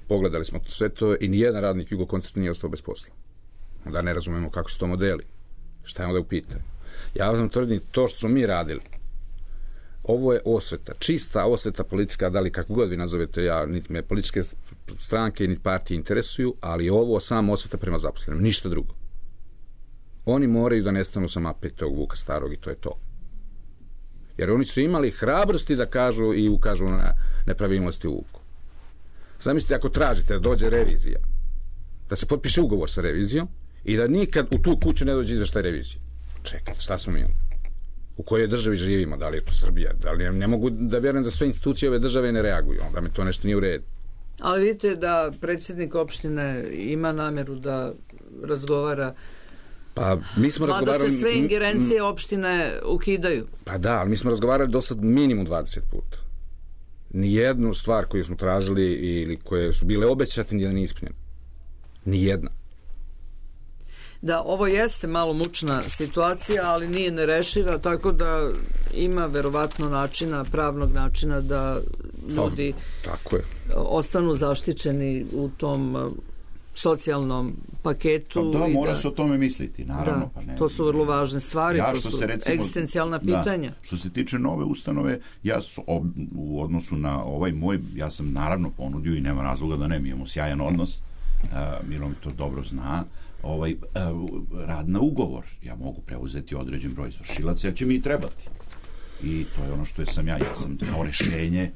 pogledali smo sve to i nijedan radnik Jugokoncerta nije ostao bez posla. Onda ne razumemo kako su to modeli. Šta je onda u pitanju? Ja vam tvrdim, to što smo mi radili, ovo je osveta, čista osveta politička, da li kako god vi nazovete, niti me političke stranke, niti partije interesuju, ali ovo samo osveta prema zaposlenim, ništa drugo. Oni moraju da nestanu sa mape tog Vuka Starog i to je to. Jer oni su imali hrabrosti da kažu i ukažu na nepravilnosti u Vuku. Zamislite, ako tražite da dođe revizija, da se potpiše ugovor sa revizijom i da nikad u tu kuću ne dođe izveštaj revizije. Čekajte, šta smo mi? U kojoj državi živimo, da li je to Srbija, da li ne mogu da vjerujem da sve institucije ove države ne reaguju, onda mi to nešto nije u redu. Ali vidite da predsjednik opštine ima nameru da razgovara, pa mi smo razgovarali, da se sve ingerencije opštine ukidaju. Pa da, ali mi smo razgovarali do sad minimum 20 puta. Nijednu stvar koju smo tražili ili koje su bile obećate nije ispunjene. Nijedna. Da, ovo jeste malo mučna situacija, ali nije nerešiva, tako da ima verovatno načina, pravnog načina da ljudi ostanu zaštićeni u tom socijalnom paketu. Pa da, mora se o tome misliti, naravno. Da, pa to su vrlo važne stvari, to su egzistencijalna pitanja. Što se tiče nove ustanove, ja u odnosu na ovaj moj, ja sam naravno ponudio i nema razloga da ne, mi imamo sjajan odnos, Milo mi to dobro zna, rad na ugovor. Ja mogu preuzeti određen broj izvršilaca, jer će mi i trebati. I to je ono što sam ja sam kao rešenje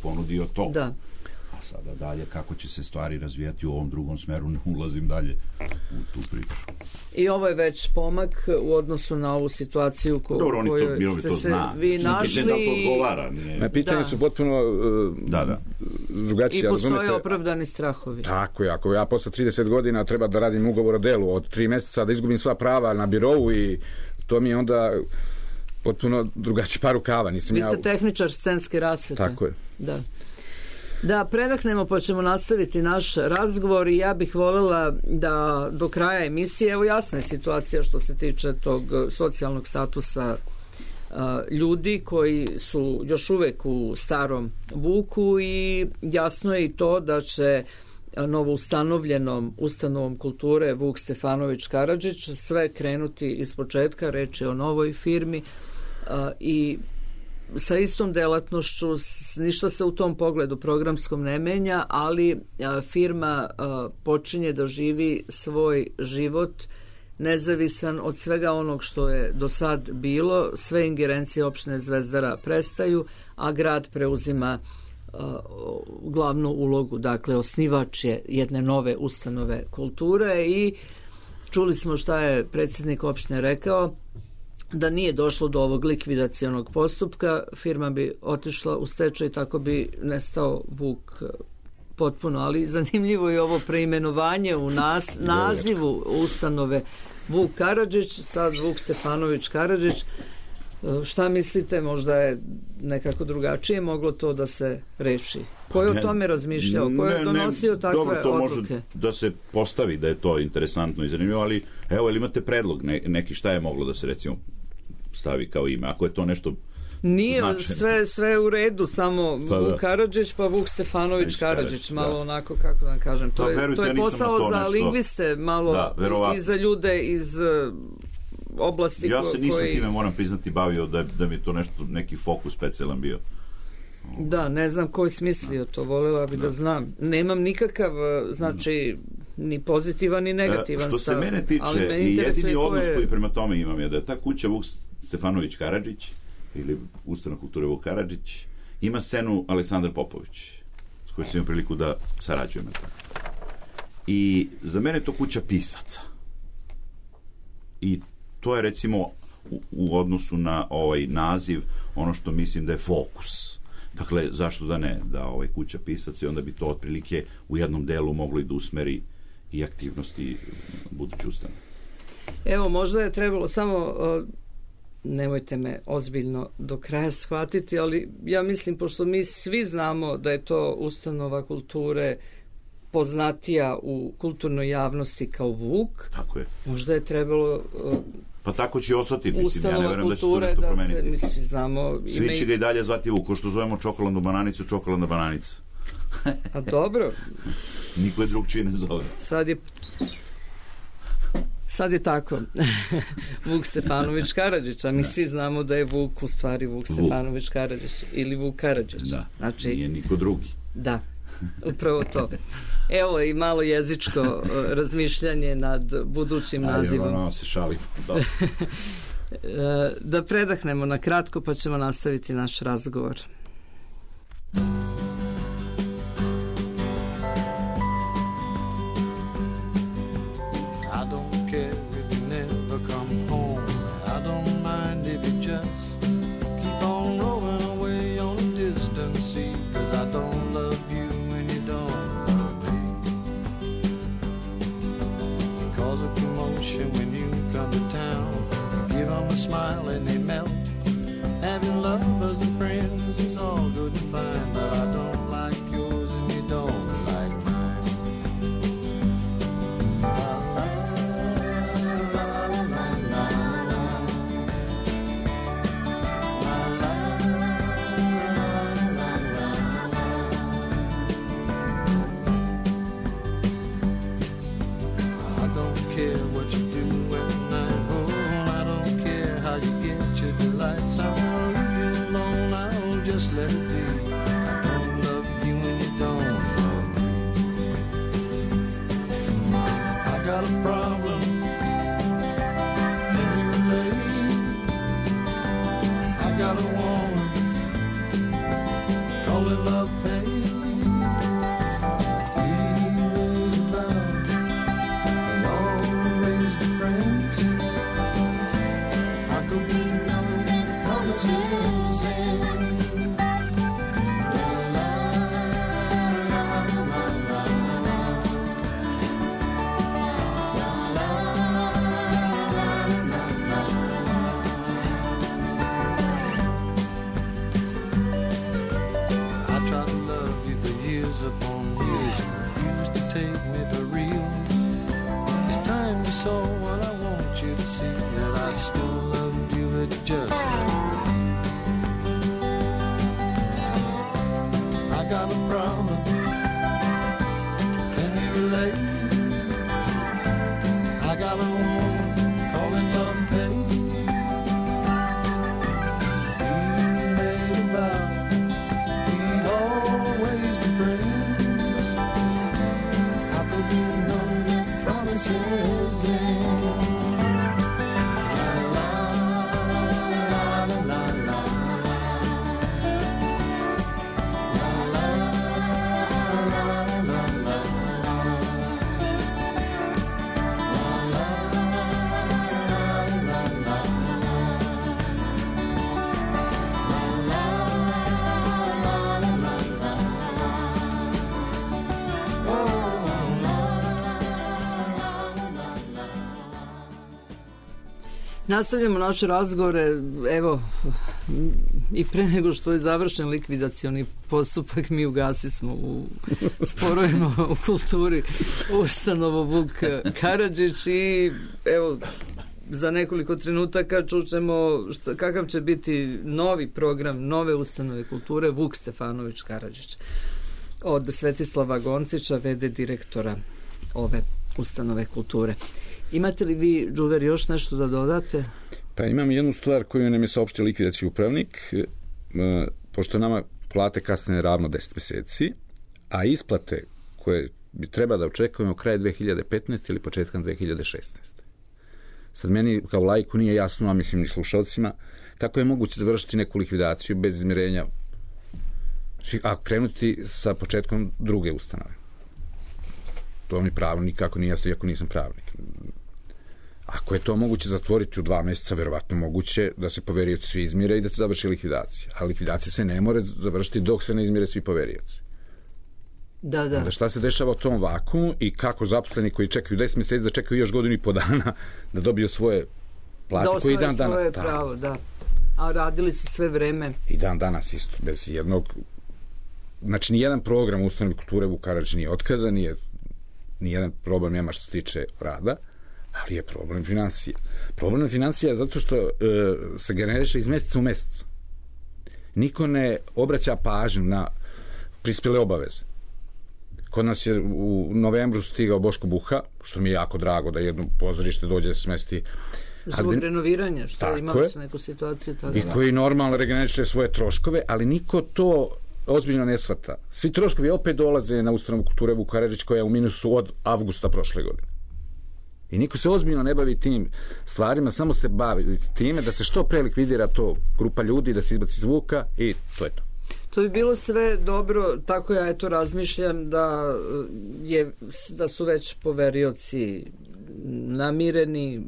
ponudio to. Da. A sada dalje, kako će se stvari razvijati u ovom drugom smeru, ne ulazim dalje u tu priču. I ovo je već pomak u odnosu na ovu situaciju koju ste se vi našli. Da to odgovara. Na pitanju su potpuno drugačije. I postoje opravdani strahovi. Tako je, ako ja posle 30 godina treba da radim ugovor o delu od 3 meseca, da izgubim sva prava na birovu i to mi je onda potpuno drugačiji par rukava. Vi ste tehničar scenske rasvete. Tako je. Da, predahnemo pa ćemo nastaviti naš razgovor i ja bih voljela da do kraja emisije, evo jasna je situacija što se tiče tog socijalnog statusa ljudi koji su još uvek u starom Vuku i jasno je i to da će novo ustanovljenom ustanovom kulture Vuk Stefanović Karadžić sve krenuti iz početka, reč je o novoj firmi i sa istom delatnošću, ništa se u tom pogledu programskom ne menja, ali firma počinje da živi svoj život nezavisan od svega onog što je do sad bilo, sve ingerencije opštine Zvezdara prestaju, a grad preuzima glavnu ulogu, dakle osnivač je jedne nove ustanove kulture i čuli smo šta je predsjednik opštine rekao, da nije došlo do ovog likvidacionog postupka, firma bi otišla u stečaj i tako bi nestao Vuk potpuno, ali zanimljivo je ovo preimenovanje u nazivu ustanove Vuk Karadžić, sad Vuk Stefanović Karadžić. Šta mislite, možda je nekako drugačije moglo to da se reši? Ko je o tome razmišljao? Ko je donosio takve odluke? Dobro, to može da se postavi da je to interesantno i zanimljivo, ali evo, ili imate predlog neki šta je moglo da se recimo stavi kao ime, ako je to nešto nije sve u redu, samo Vuk Karadžić pa Vuk Stefanović Karadžić, malo onako, kako da kažem, to je posao za lingviste, malo i za ljude iz oblasti ja se nisam time, moram priznati, bavio da mi je to nešto, neki fokus specijalan bio. Da, ne znam ko je smislio to, voljela bi da znam. Nemam nikakav, znači, ni pozitivan ni negativan stav. Što se mene tiče, i jedini odnos koji prema tome imam je da je ta kuća Vuk Stefanović Karadžić ili ustanova kulture Vuk Karadžić ima scenu Aleksandar Popović s kojom sam imao priliku da sarađujem. I za mene je to kuća pisaca. I to je recimo u odnosu na ovaj naziv ono što mislim da je fokus. Dakle, zašto da ne, da kuća pisaca i onda bi to otprilike u jednom delu moglo i da usmeri i aktivnosti buduće ustanove. Evo, možda je trebalo samo, nemojte me ozbiljno do kraja shvatiti, ali ja mislim, pošto mi svi znamo da je to ustanova kulture poznatija u kulturnoj javnosti kao Vuk, tako je. Možda je trebalo pa tako će ostati, mislim, ja ne verujem da će to nešto promeniti. Svi znamo... Svi će ga i dalje zvati Vuk, ko što zovemo čokoladnu bananicu, čokoladna bananica. A dobro. Niko je drugčije ne zove. Sad je tako. Vuk Stefanović Karadžić, a mi svi znamo da je Vuk u stvari Vuk Stefanović Karadžić ili Vuk Karadžić. Da, znači, nije niko drugi. Da, upravo to. Evo i malo jezičko razmišljanje nad budućim nazivom. Ajde, se šalimo. Da predahnemo na kratko pa ćemo nastaviti naš razgovor. Smile and they melt. Having lovers and friends is all good and fine, but I don't like yours and you don't like mine. La la la la la la la la. I don't care what you do when I'm home. You get your delights, I'll leave you alone, I'll just let it be. I don't love you and you don't love me. I got a problem, can you relate? I got a woman so, and I want you to see that I still love you. It just I got a problem. Can you relate? I got a woman calling love and pain. We made a vow we'd always be friends. How could you know the promises end? La la la la la. Nastavljamo naše razgovore, evo, i pre nego što je završen likvidacioni postupak, mi ugasismo u sporovima u kulturi ustanovu Vuk Karadžić i evo, za nekoliko trenutaka čućemo kakav će biti novi program nove ustanove kulture Vuk Stefanović Karadžić od Svetislava Goncića, v.d. direktora ove ustanove kulture. Imate li vi, Đuver, još nešto da dodate? Pa imam jednu stvar koju nam je saopštio likvidacijski upravnik, pošto nama plate kasne ravno 10 meseci, a isplate koje bi treba da očekujemo kraj 2015. ili početkom 2016. Sad meni kao laiku nije jasno, a mislim ni slušalcima, kako je moguće završiti neku likvidaciju bez izmirenja, a krenuti sa početkom druge ustanove. To mi pravno nikako nije jasno, iako nisam pravnik. Ako je to moguće zatvoriti u 2 meseca, verovatno moguće da se poverioci svi izmire i da se završi likvidacija. A likvidacija se ne more završiti dok se ne izmire svi poverioci. Da. Onda šta se dešava u tom vakumu i kako zaposleni koji čekaju 10 meseci da čekaju još godinu i po dana da dobiju svoje plate koji dan danas. Svoje pravo, da. A radili su sve vreme. I dan danas isto, bez jednog. Znači, nijedan program ustanove kulture Vuk Karadžić nije otkazan, nijedan problem nema što se tiče rada, ali je problem financija. Problem financija je zato što se generiše iz meseca u mesec. Niko ne obraća pažnju na prispjele obaveze. Kod nas je u novembru stigao Boško Buha, što mi je jako drago da jedno pozorište dođe smesti. Zbog renoviranja, što imali su neku situaciju. I koji normalno regeneriše svoje troškove, ali niko to ozbiljno ne shvata. Svi troškovi opet dolaze na ustanovu kulture Vuk Karadžić koja je u minusu od avgusta prošle godine. I niko se ozbiljno ne bavi tim stvarima, samo se bavi time da se što pre likvidira to grupa ljudi, da se izbaci iz Vuka i to je to. To bi bilo sve dobro, tako ja eto razmišljam da su već poverioci namireni,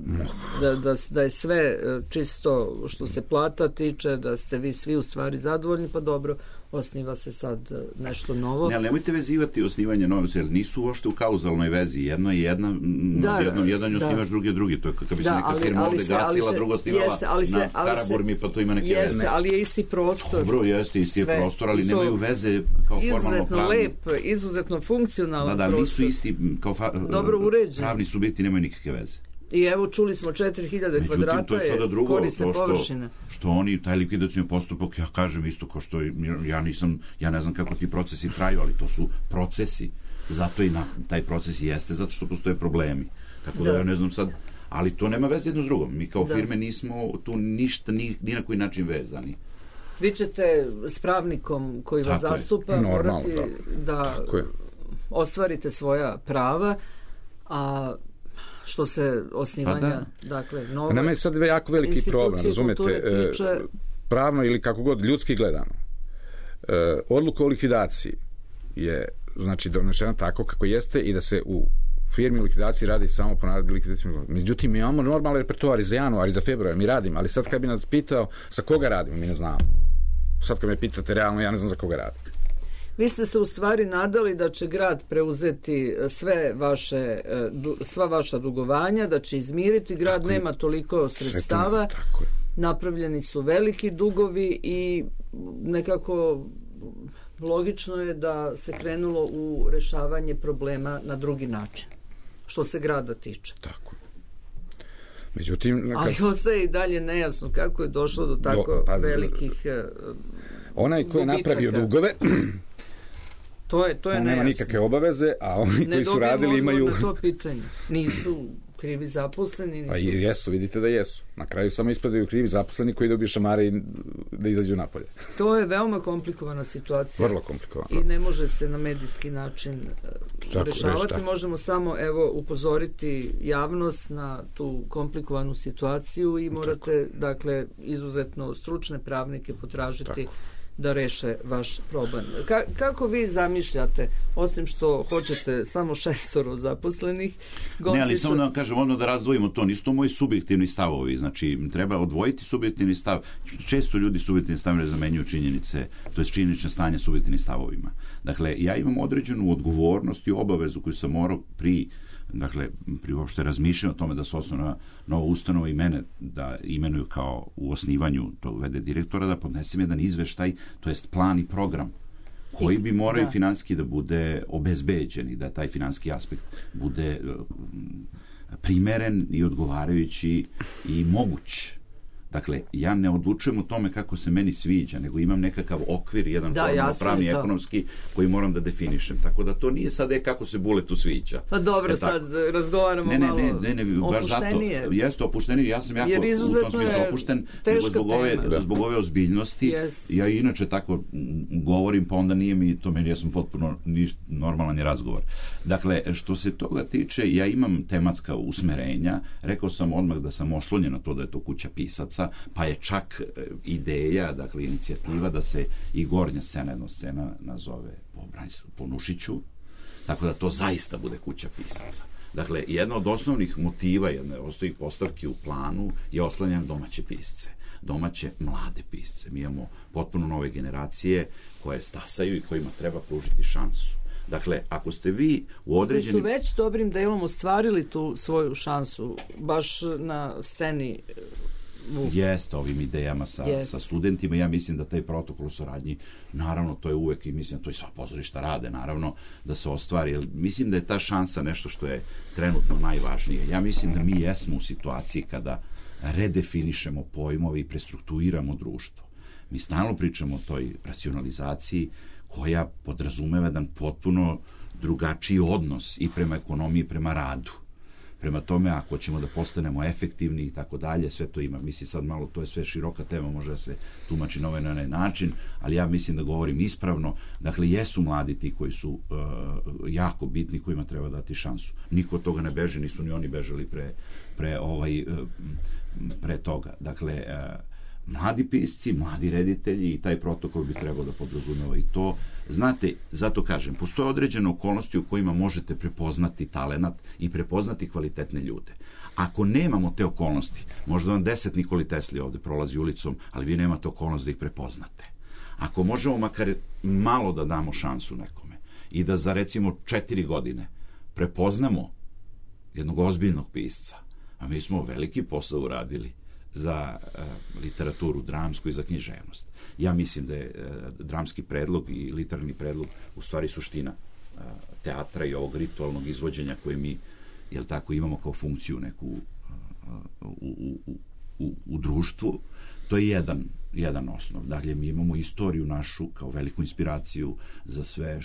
da je sve čisto što se plata tiče, da ste vi svi u stvari zadovoljni, pa dobro, osniva se sad nešto novo. Ne, ali nemojte vezivati osnivanje nove, jer nisu uopšte u kauzalnoj vezi. Jedno je jedan osnivač, drugi. To je kako bi se neka firma ovde gasila, drugo osnivala na Karaburmi, pa to ima neke veze. Jeste, ali je isti prostor. Dobro, jeste isti prostor, ali nemaju veze kao formalno pravni. Izuzetno lep, izuzetno funkcionalan prostor. Da, nisu isti kao pravni subjekti, nemaju nikakve veze. I evo čuli smo 4000 kvadrata je korisne površine. Što oni, taj likvidacijni postupak, ja kažem isto kao što ja ne znam kako ti procesi traju, ali to su procesi. Zato i taj proces jeste, zato što postoje problemi. Tako da ja ne znam sad, ali to nema veze jedno s drugom. Mi kao firme nismo tu ništa, ni na koji način vezani. Vi ćete s pravnikom koji vas zastupa morati da ostvarite svoja prava, a što se osnivanja, dakle, nove nama je sad jako veliki problem, razumete, pravno ili kako god, ljudski gledano. Odluka o likvidaciji je, znači, donesena tako kako jeste i da se u firmi u likvidaciji radi samo po naredbi likvidacijom. Međutim, mi imamo normalni repertoar i za januar i za februar, mi radimo, ali sad kad bi nas pitao za koga radimo, mi ne znamo. Sad kad me pitate realno, ja ne znam za koga radim. Vi ste se u stvari nadali da će grad preuzeti sva vaša dugovanja, da će izmiriti. Grad nema toliko sredstava. Napravljeni su veliki dugovi i nekako logično je da se krenulo u rešavanje problema na drugi način, što se grada tiče. Tako. Međutim, ali ostaje i dalje nejasno kako je došlo do tako velikih onaj ko je napravio dugove, to je on nema nikakve obaveze, a oni koji su radili imaju... Ne to pitanje. Nisu krivi zaposleni. Pa jesu, vidite da jesu. Na kraju samo ispadaju krivi zaposleni koji dobiju šamare i da izađu napolje. To je veoma komplikovana situacija. Vrlo komplikovana. I ne može se na medijski način rešavati. Možemo samo upozoriti javnost na tu komplikovanu situaciju i morate, dakle, izuzetno stručne pravnike potražiti da reše vaš problem. Kako vi zamišljate, osim što hoćete samo 6 zaposlenih? Ne, ali samo da vam kažem, da razdvojimo to, nisu to moji subjektivni stavovi, znači treba odvojiti subjektivni stav. Često ljudi subjektivni stav ne zamenjuju činjenice, to je činjenične stanje subjektivnim stavovima. Dakle, ja imam određenu odgovornost i obavezu koju sam morao pri uopšte razmišljam o tome da se osnovna nova ustanova i mene da imenuju kao u osnivanju tog VD direktora, da podnesem jedan izveštaj, to jest plan i program koji bi morao i finansijski da bude obezbeđen i da taj finansijski aspekt bude primeren i odgovarajući i moguć. Dakle, ja ne odlučujem o tome kako se meni sviđa, nego imam nekakav okvir, jedan formalno-pravni, ekonomski, koji moram da definišem. Tako da to nije sad kako se Buletu sviđa. Pa dobro, sad razgovaramo malo opuštenije. Jeste opuštenije, ja sam jako u tom smislu opušten, nego zbog ove ozbiljnosti. Ja inače tako govorim, pa onda nije mi to meni, ja sam potpuno normalan je razgovor. Dakle, što se toga tiče, ja imam tematska usmerenja, rekao sam odmah da sam oslonjen na to da je to kuća pisaca, pa je čak ideja, dakle inicijativa da se i gornja scena, jedna scena nazove po Nušiću, tako da to zaista bude kuća pisaca. Dakle, jedna od osnovnih motiva, jedna od osnovnih postavki u planu je oslanjanje domaće pisce, domaće mlade pisce. Mi imamo potpuno nove generacije koje stasaju i kojima treba pružiti šansu. Dakle, ako ste vi u određenim... Koji su već dobrim delom ostvarili tu svoju šansu, baš na sceni Jeste, ovim idejama sa studentima. Ja mislim da taj protokol u saradnji, naravno, to je uvek i mislim da to i sva pozorišta rade, naravno, da se ostvari. Mislim da je ta šansa nešto što je trenutno najvažnije. Ja mislim da mi jesmo u situaciji kada redefinišemo pojmove i prestrukturiramo društvo. Mi stalno pričamo o toj racionalizaciji koja podrazumeva jedan potpuno drugačiji odnos i prema ekonomiji i prema radu. Prema tome, ako ćemo da postanemo efektivni i tako dalje, sve to ima. Mislim sad malo, to je sve široka tema, može da se tumači na ovaj način, ali ja mislim da govorim ispravno. Dakle, jesu mladi ti koji su jako bitni, kojima treba dati šansu. Niko od toga ne beže, nisu ni oni bežali pre toga. Dakle, mladi pisci, mladi reditelji i taj protokol bi trebao da podrazumeva i to. Znate, zato kažem, postoje određene okolnosti u kojima možete prepoznati talenat i prepoznati kvalitetne ljude. Ako nemamo te okolnosti, možda vam 10 Nikoli Tesli ovde prolazi ulicom, ali vi nemate okolnost da ih prepoznate. Ako možemo makar malo da damo šansu nekome i da za recimo 4 godine prepoznamo jednog ozbiljnog pisca, a mi smo veliki posao uradili za literaturu dramsku i za književnost. Ja mislim da je dramski predlog i literarni predlog u stvari suština teatra i ovog ritualnog izvođenja koje mi, jel tako, imamo kao funkciju neku u društvu. To je jedan osnov. Dakle, mi imamo istoriju našu kao veliku inspiraciju za sve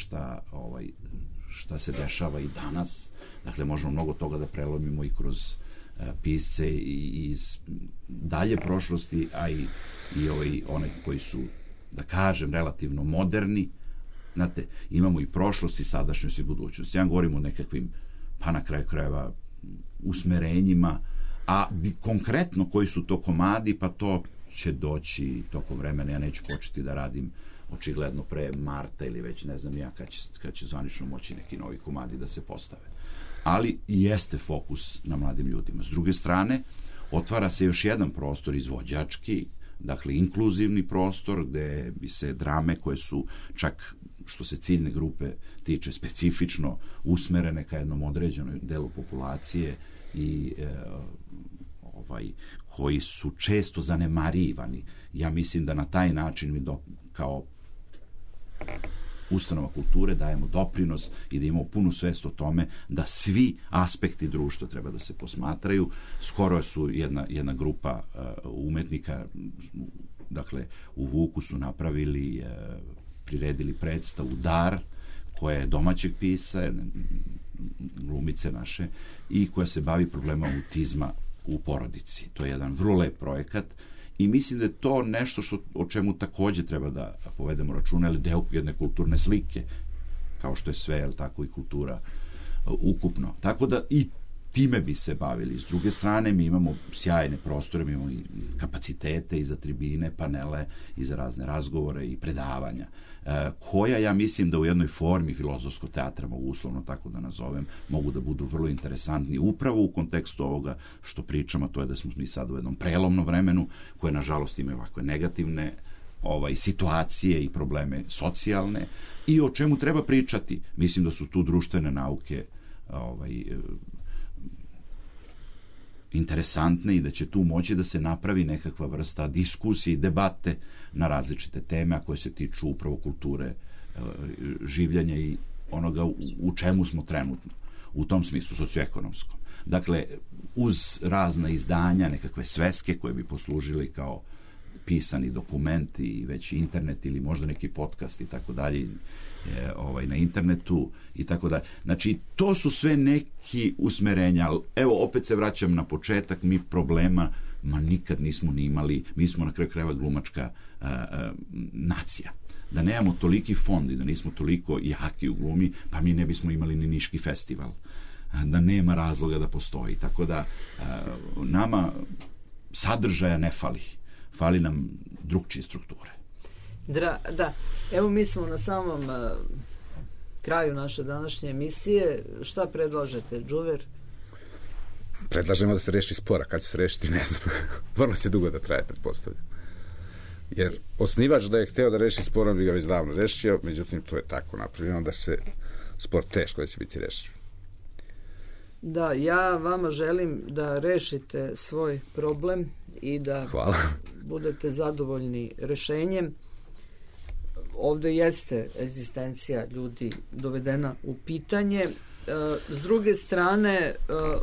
šta se dešava i danas. Dakle, možemo mnogo toga da prelomimo i kroz pisce iz dalje prošlosti, a i one koji su, da kažem, relativno moderni. Znate, imamo i prošlost i sadašnjost i budućnost. Ja govorim o nekakvim, pa na kraju krajeva, usmerenjima, a konkretno koji su to komadi, pa to će doći tokom vremena. Ja neću početi da radim očigledno pre marta ili već ne znam ja kad će zvanično moći neki novi komadi da se postave. Ali jeste fokus na mladim ljudima. S druge strane, otvara se još jedan prostor izvođački, dakle inkluzivni prostor gde bi se drame koje su čak što se ciljne grupe tiče specifično usmerene ka jednom određenom delu populacije i koji su često zanemarivani. Ja mislim da na taj način mi kao ustanova kulture dajemo doprinos i da imamo punu svest o tome da svi aspekti društva treba da se posmatraju. Skoro su jedna grupa umetnika, dakle u Vuku su napravili, priredili predstavu Dar, koja je domaćeg pisa, glumice naše, i koja se bavi problema autizma u porodici. To je jedan vrlo lep projekat i mislim da je to nešto o čemu takođe treba da povedemo računa, ali deo jedne kulturne slike, kao što je sve, jel tako, i kultura ukupno. Tako da i time bi se bavili. S druge strane, mi imamo sjajne prostore, mi imamo i kapacitete i za tribine, panele i za razne razgovore i predavanja, koja ja mislim da u jednoj formi filozofskog teatra, mogu uslovno tako da nazovem, mogu da budu vrlo interesantni upravo u kontekstu ovoga što pričamo, to je da smo mi sad u jednom prelomnom vremenu, koje nažalost imaju ovakve negativne situacije i probleme socijalne i o čemu treba pričati. Mislim da su tu društvene nauke interesantne i da će tu moći da se napravi nekakva vrsta diskusije i debate na različite teme, a koje se tiču upravo kulture, življenja i onoga u čemu smo trenutno, u tom smislu socioekonomskom. Dakle, uz razna izdanja, nekakve sveske koje bi poslužili kao pisani dokumenti i već internet ili možda neki podcast i tako dalje na internetu i tako dalje. Znači, to su sve neki usmerenja. Evo, opet se vraćam na početak, mi problema nikad nismo ni imali, mi smo na kraju krajeva glumačka nacija. Da nemamo toliki fond i da nismo toliko jaki u glumi, pa mi ne bismo imali ni Niški festival. Da nema razloga da postoji. Tako da nama sadržaja ne fali. Fali nam drugčije strukture. Da, evo mi smo na samom kraju naše današnje emisije. Šta predlažete, Džuver? Predlažemo da se reši spora. Kad će se rešiti, ne znam. Vrlo će dugo da traje, pretpostavljam. Jer osnivač da je hteo da reši spor, on bi ga već davno rešio, međutim to je tako napravljeno da se spor teško da će biti rešio. Da, ja vama želim da rešite svoj problem i da budete zadovoljni rešenjem. Ovde jeste egzistencija ljudi dovedena u pitanje. S druge strane,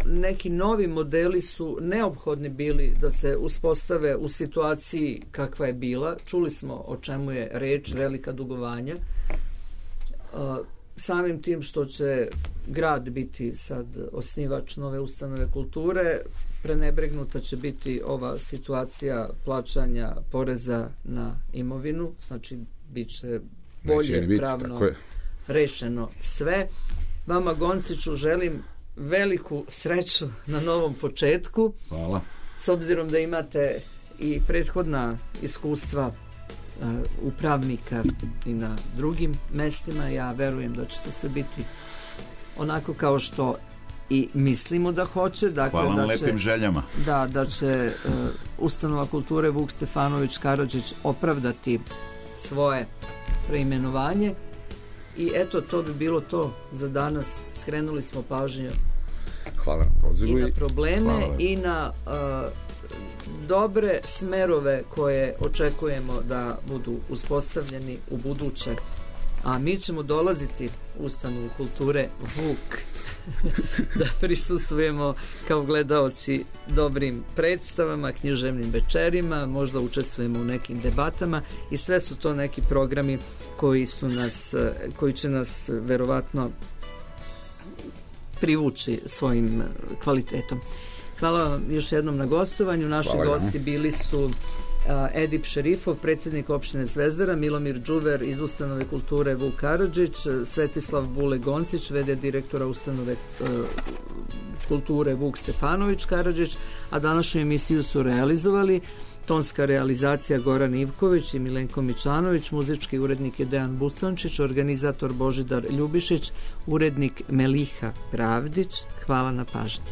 neki novi modeli su neophodni bili da se uspostave u situaciji kakva je bila. Čuli smo o čemu je reč, velika dugovanja. Samim tim što će grad biti sad osnivač nove ustanove kulture, prenebregnuta će biti ova situacija plaćanja poreza na imovinu, znači bit će bolje pravno rešeno sve. Vama, Gonciću, želim veliku sreću na novom početku. Hvala. S obzirom da imate i prethodna iskustva upravnika i na drugim mestima, ja verujem da ćete sve biti onako kao što i mislimo da hoće. Dakle, hvala na lepim željama. Da će ustanova kulture Vuk Stefanović Karadžić opravdati svoje preimenovanje. I eto, to bi bilo to za danas. Skrenuli smo pažnju i na probleme i na dobre smerove koje očekujemo da budu uspostavljeni u buduće. A mi ćemo dolaziti u ustanovu kulture Vuk da prisustvujemo kao gledaoci dobrim predstavama, književnim večerima, možda učestvujemo u nekim debatama i sve su to neki programi koji će nas verovatno privući svojim kvalitetom. Hvala vam još jednom na gostovanju. Naši gosti bili su Edip Šerifov, predsjednik opštine Zvezdara, Milomir Džuver iz ustanove kulture Vuk Karadžić, Svetislav Bule Goncić, v.d. direktora ustanove kulture Vuk Stefanović Karadžić, a današnju emisiju su realizovali tonska realizacija Goran Ivković i Milenko Mičanović, muzički urednik je Dejan Busančić, organizator Božidar Ljubišić, urednik Meliha Pravdić. Hvala na pažnji.